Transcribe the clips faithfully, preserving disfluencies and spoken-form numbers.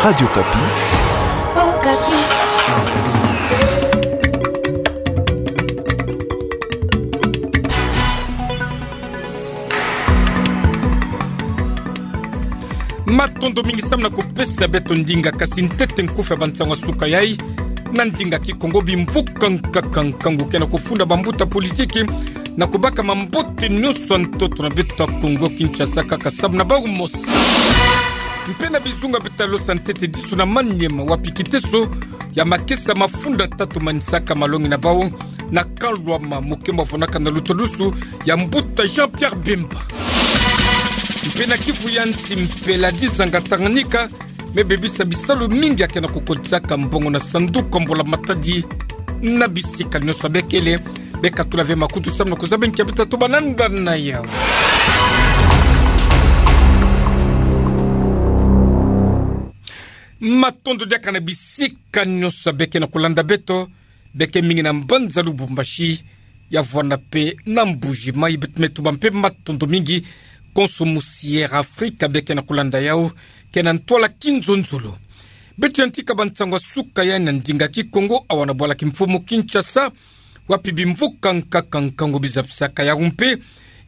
Radio Okapi. Okapi. Matondo mingi samu na kupesa beto ndinga, kasi ntete nkufi ya bansango ya suka yai na ndinga Kikongo. Bimvuka nkaka nkangu ke na kufunda bambuta politiki na kubaka mambote nyonso ya ntoto na beto ya Kongo Kinshasa, kaka samu na bau mosi. Mpe na bizunga beto talosa ntete disu na Maniema, wapi kiteso ya makesa mafunda tatu manisaka malongi na bau na Kalwama, mokembo vwanaka na lutadusu ya mbuta Jean-Pierre Bemba. Mpe na Kivu ya nsi, mpela dizanga Tanganyika me bebisa bisalu mingi ya ke na kukotisaka mbongo na sanduku ya mbula-matadi na bisika nyonso. Bekele, bekatula ve makutu samu na kuzaba nki ya beto tobana ndani na yau. Matondo diaka na bisika nyonso beke na kulanda beto, beke mingi na mbanza Lubumbashi, ya vwanda mpe na Mbuji-Mayi. Beto me tuba mpe matondo mingi konso musi Air Afrika beke na kulanda yau, ke na ntwala kinzonzolo. Beto yantika bansango ya suka yai na ndinga Kikongo awa na bwala kimfumu Kinshasa, wapi bimvuka nkaka nkangu bizabisaka yau mpe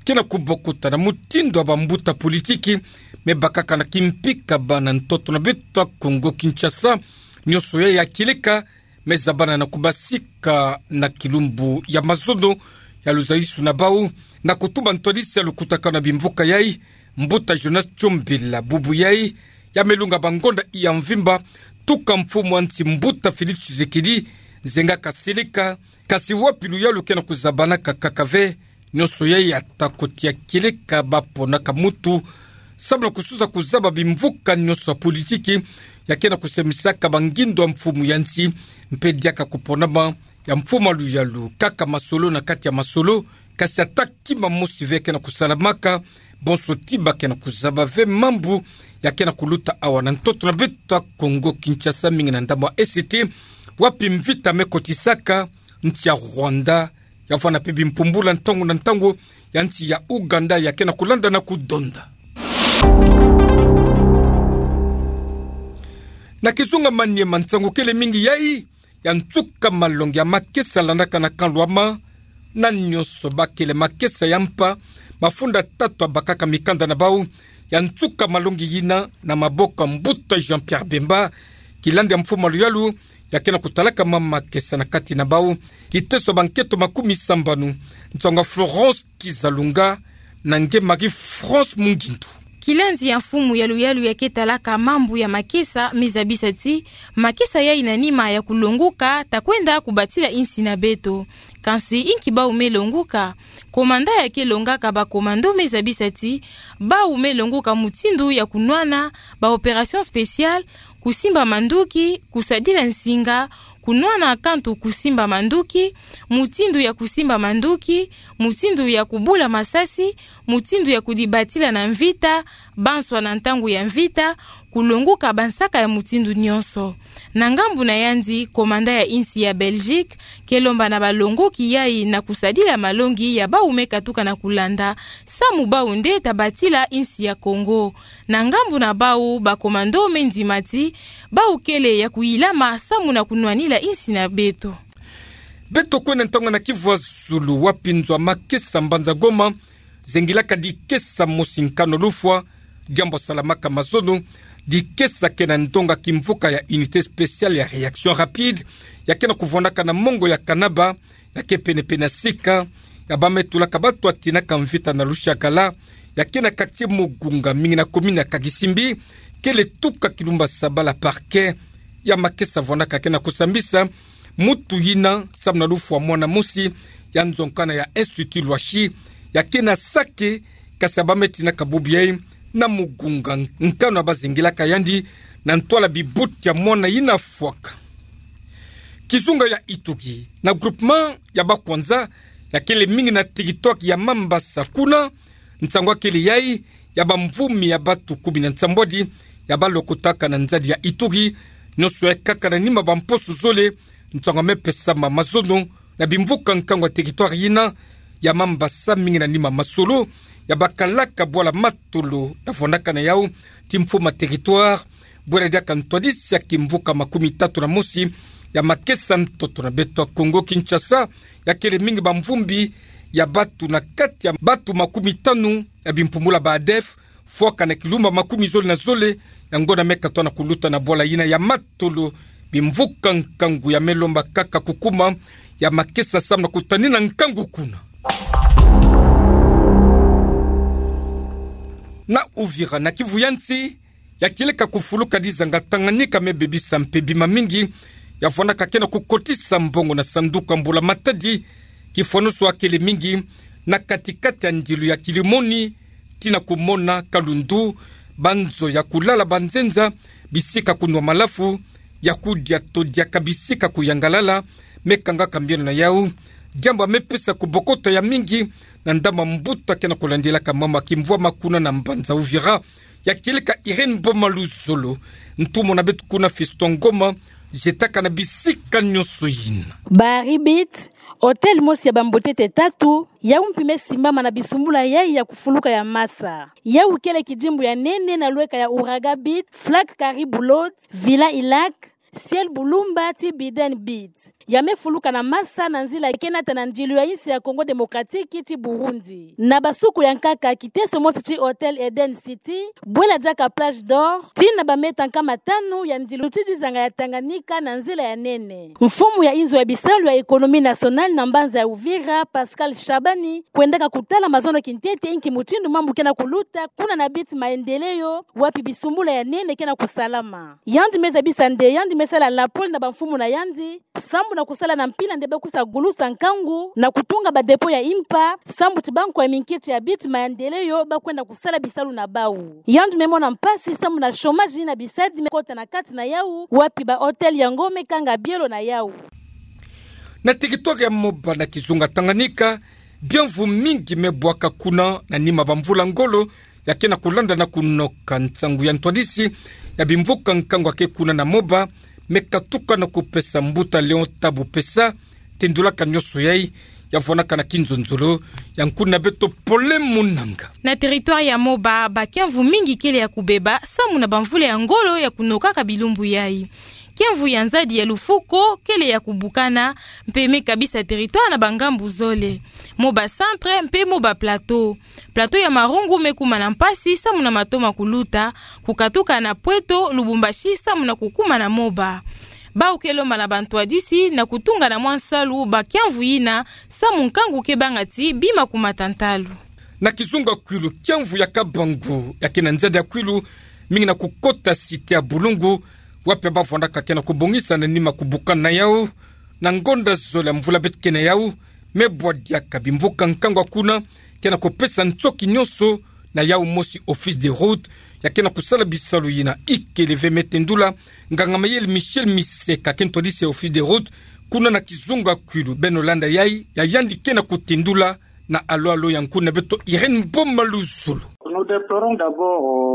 ke na kubokuta na mutindu ya bambuta politiki me bakaka na kimpika bana ntoto na beto ya Kongo Kinshasa. Nyonso yai ya kieleka me zabana na kubasika na kilumbu ya mazono ya luzalisu na bau, na kutuba ntwadisi ya lukutakanu ya bimvuka yai, mbuta Jonas Tchombela, bubu yai ya me lunga bangonda ya mvimba, tuka mfumu ya nsi mbuta Félix Tshisekedi, nzenga kasieleka, kasi wapi luyalu ke na kuzabanaka kaka ve, nyonso yai ya ta kotia kieleka baponaka mutu, samu na kususa kuzaba bimvuka nyonso ya politiki ya ke na kusemisaka bangindo ya mfumu ya nsi, mpe diaka kuponama ya mfumu ya luyalu kaka masolo na kati ya masolo, kasi ata kima mosi ve ke na kusalamaka, bonso ti ba ke na kuzaba ve mambu ya ke na kuluta awa na ntoto na beto ya Kongo Kinshasa, mingi na ndambu ya E C T, wapi mvita me kotisaka nsi ya Rwanda, ya vwanda mpe bimpumbula ntangu na ntangu ya nsi ya Ouganda ya ke na kulanda na kudonda. Na kizunga Maniema, nsangu kele mingi yai ya nsuka malongi ya makesa landaka na Kalwama, na nyonso bakele makesa ya mpa, mafunda tatu ya bakaka mikanda na bau ya nsuka malongi yina na maboko ya mbuta Jean-Pierre Bemba, kilandi ya mfumu ya luyalu ya ke na kutalaka mwa makesa na kati na bau, kiteso ya bankento makumi sambanu, nsangu ya Florence Kizalunga na nge Marie-France Mungindu. Kilandi ya mfumu ya luyalu ya ke talaka mambu ya makesa me zabisa ti makesa yai na nima ya kulonguka ta kwenda kubatila insi na beto. Kansi inki bau me longuka? Komanda ya ke longaka bakomando me zabisa ti bau me longuka mutindu ya kunwana ba opération spéciale, kusimba manduki, kusadila nsinga, kunwana kantu kusimba manduki, mutindu ya kusimba manduki, mutindu ya kubula masasi, mutindu ya kudibatila na mvita, banswa na ntangu ya mvita, kulonguka bansaka ya mutindu nyonso. Na ngambu na yandi, komanda ya insi ya Belgique ke lomba na balongoki yai na kusadila malongi ya bau me katuka na kulanda, samu bau nde ta batila insi ya Kongo. Na ngambu na bau, bakomando me ndima ti bau kele ya kuyilama samu na kunwanila insi na beto. Beto kwenda ntangu na Kivu ya zulu, wapi nzo ya makesa mbanza Goma zengilaka dikesa mosi nkanu lufwa, diambu salamaka mazono, dikesa ke na ndonga kimvuka ya Unité Spéciale ya Réaction Rapide, ya ke na kuvwandaka na mongo ya Kanaba, ya ke pene-pene ya sika ya ba me tulaka bato ya tinaka mvita na Lushagala, ya ke na quartier Mugunga, mingi na commune ya Kagisimbi, kele tuka kilumbu ya saba la parquet ya makesa vwandaka ke na kusambisa mutu yina samu na lufwa mwana mosi ya nzo nkana ya Institut Lwashi, ya ke na sake, kasi ya ba me tinaka bubu yai na Mugunga, nkanu ya ba zengilaka yandi na ntwala bibuti ya mwana yina fwaka. Kizunga ya Ituri, na groupement ya Bakwanza, ya kele mingi na territoire ya Mambasa, kuna nsangu ya kele yai ya bamvumi ya bato kumi na nsambwadi ya ba lokotaka na nzadi ya Ituri, nyonso yai kaka na nima bamposo zole, nsangu ya me pesama mazono na bimvuka nkangu ya territoire yina ya Mambasa, mingi na nima masolo ya bakalaka bwala Matolo ya vwandaka na yau ti mfumu ya territoire, Bwela diaka ntwadisi ya kimvuka makumi tatu na mosi ya makesa ntoto na beto ya Kongo Kinshasa, yakele mingi bamvumbi ya batu na kati ya batu makumi tanu ya bimpumbula ba ADF, fwaka na kilumba makumi zole na zole ya ngonda me katoa na kuluta na bwala yina ya Matolo, bimvuka nkangu ya me lomba kaka kukuma ya makesa samu na kutanina nkangu kuna. Na Uvira, na Kivu ya nsi, ya kieleka kufuluka dizanga Tanganyika me bebisa mpe bima mingi ya vwandaka ke na kukotisa mbongo na sanduku ya mbula-matadi, kifwanusu akele mingi na kati-kati ya ndilu ya Kilimani tii na kumona Kalundu, banzo ya kulala, banzenza, bisika kunwa malafu, ya kudia to diaka bisika kuyangalala, me kangaka mbieno na yau. Diambu ya me pesa kubokota ya mingi na ndambu ya mbuta ke na kulandilaka mama kimvwama kuna na mbanza Uvira, ya kieleka Irène Boma Luzolo. Ntumwa na beto kuna Fiston Ngoma, zetaka na bisika nyonso yina. Bar Ibit, hôtel mosi ya bambotete tatu, yau mpi me simbama na bisumbula yai ya kufuluka ya masa. Yau kele kidimbu ya nene na lweka ya Ouragan Beach, Flag Caribou Lodge, Villa Ilak, Ciel Bulumba tii Biden Beach. Ya me fuluka na masa na nzila ke nata na ndilu ya insi ya Congo Démocratique tii Burundi. Na basuku ya nkaka, kiteso mosi tii Hôtel Eden City, bwela diaka Plage d'Or, tii na ba mètre nkama tanu ya ndilu tii dizanga ya Tanganyika na nzila ya nene. Mfumu ya inzo ya bisalu ya Économie Nationale na mbanza ya Uvira, Pascal Shabani, kwendaka kutala mazono kintete inki mutindu mambu ke na kuluta kuna na Beach Maendeleo, wapi bisumbula ya nene ke na kusalama. Yandi me zabisa nde yandi me sala lapole na bamfumu na yandi, sambu na kusala na mpila nde ba kusa gulusa nkangu na kutunga ba dépôt ya impa, sambu ti bankwa ya minkiti ya Beach Maendeleo ba kwenda kusala bisalu na bau. Yandi me mona mpasi sambu na chômage na bisadi me kota na kati na yau, wapi ba hôtel yango me kanga bielo na yau. Na territoire ya Moba na kizunga Tanganyika, biamvu mingi me bwaka kuna na nima bamvula ngolo ya ke na kulanda na kunoka. Nsangu ya ntwadisi ya bimvuka nkangu ya ke kuna na Moba me katuka na kupesa mbuta Léon Tabu Pessa tendulaka nyonso yai, ya vwanaka na kinzonzolo ya nkuna beto Pole Munanga. Na territoire ya Moba, bakiamvu mingi kele ya kubeba samu na bamvula ya ngolo ya kunokaka bilumbu yai. Kiamvu ya nzadi ya lufuko kele ya kubukana, mpe me kabisa territoire na bangambu zole: Moba Centre mpe Moba Plateau. Plateau ya Marungu me kuma na mpasi samu na mato ma kuluta, kukatuka na Pweto, Lubumbashi samu na kukuma na Moba. Bau ke lomba na bantwadisi na kutunga na mwa nsalu bakiamvu yina, samu nkangu ke banga ti bima kumata ntalu. Na kizunga Kwilu, kiamvu ya Kabangu ya ke na nzadi ya Kwilu, mingi na kukota cité ya Bulungu, wapi ba vwandaka ke na kubongisa na nima kubukana na yau. Na ngonda zole ya mvula beto ke na yau, me bwa diaka bimvuka nkangu ya kuna ke na kupesa ntoki nyonso na yau mosi Office des Routes ya ke na kusala bisalu yina. Ikele ve me tendula nganga-mayele Michel Miseka, ke ntwadisi ya Office des Routes kuna na kizunga Kwilu. Beno landa yai ya yandi ke na kutendula na alo-alo ya nkuna beto Irène Boma Luzolo.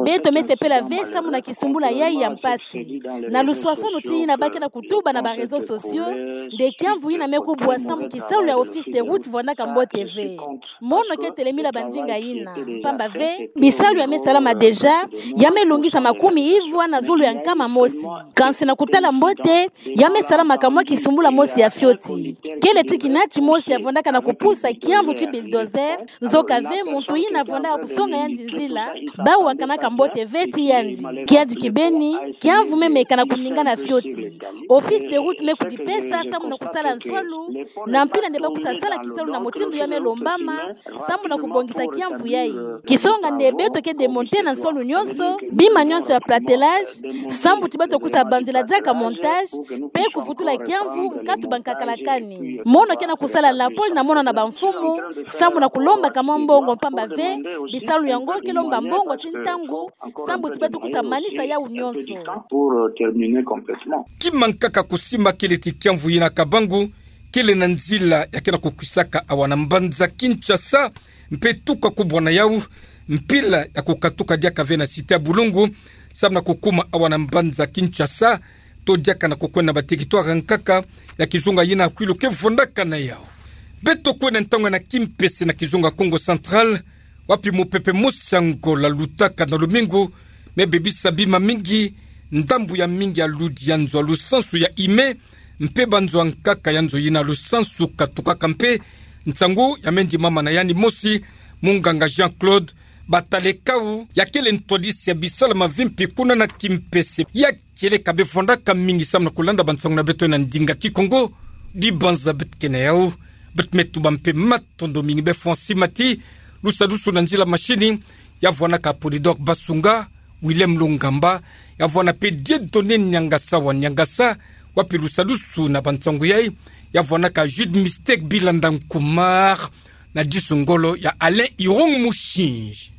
Beto me sepela ve samu na kisumbula yai ya mpasi. Na luswaswanu ti yina ba ke na kutuba na ba réseaux sociaux, nde kiamvu yina me kubwa samu kisalu ya Office des Routes vwandaka mbote ve. Mono ke telemila bandinga yina, mpamba ve bisalu ya me salama déjà, ya me lungisa makumi ivwa na zulu ya nkama mosi. Kansi na kutala mbote, ya me salama ka mwa kisumbula mosi ya fioti. Kele ti kina timosi ya vwandaka na kupusa kiamvu ti bulldozer, nzoka ve muntu yina vwandaka kusonga yandi nzila, bau akanaka mbote ve ti yandi. Kiadi kibeni, kiamvu me meka na kuningana fioti. Office des Routes me kudipesa samu na kusala nswalu, na mpila nde ba kusa sala kisalu na mutindu ya me lombama, samu na kubongisa kiamvu yai. Kisonga nde beto ke démonter na nswalu nyonso bima nyonso ya platelage, samu ti beto kusa banzila diaka montage, mpe kuvutula kiamvu nkatu bankakalakani. Mono ke na kusala lapole na mono na bamfumu, samu na kulomba ka mwa mbongo, mpamba ve bisalu yango ke lomba mbongo ti ntangu, samu ti beto kusa manisa yau nyonso. Kima nkaka kusimba kele ti kiamvu yina Kabangu kele na nzila ya ke na kukwisaka awa na mbanza Kinshasa, mpe tuka kubwa na yau, mpila ya kukatuka diaka ve na cité ya Bulungu, samu na kukuma awa na mbanza Kinshasa, to diaka na kukwenda na ba territoire nkaka ya kizunga yina Kwilu ke vwandaka na yau. Beto kwenda ntangu na kimpese na kizunga Kongo Central, wapi mupepe mosi ya Angola lutaka na lumingu, me bebisa bima mingi ndambu ya mingi ya ludi ya nzo ya lusansu ya ime, mpe banzo ya nkaka ya nzo yina lusansu katukaka mpe. Nsangu ya mendi mama na yandi mosi, munganga Jean-Claude Batalekau, ya kele ntwadisi ya bisalama vimpi kuna na kimpese. Ya kele ka bevwandaka mingi samu na kulanda bansangu na beto na ndinga Kikongo, dibanza beto kena yau. Beto me tuba mpe matondo mingi be fwa nsi mati, lusadusu na nzila mashini, ya vwanaka Polydor Basunga, Willem Lungamba, ya vwana mpe Dieudonné Niangasa wa Niangasa, wapi lusadusu na bansangu yai, ya vwanaka Jude Mistake Bilanda Nkumar, na disu ngolo ya Alain Irong Mushinji.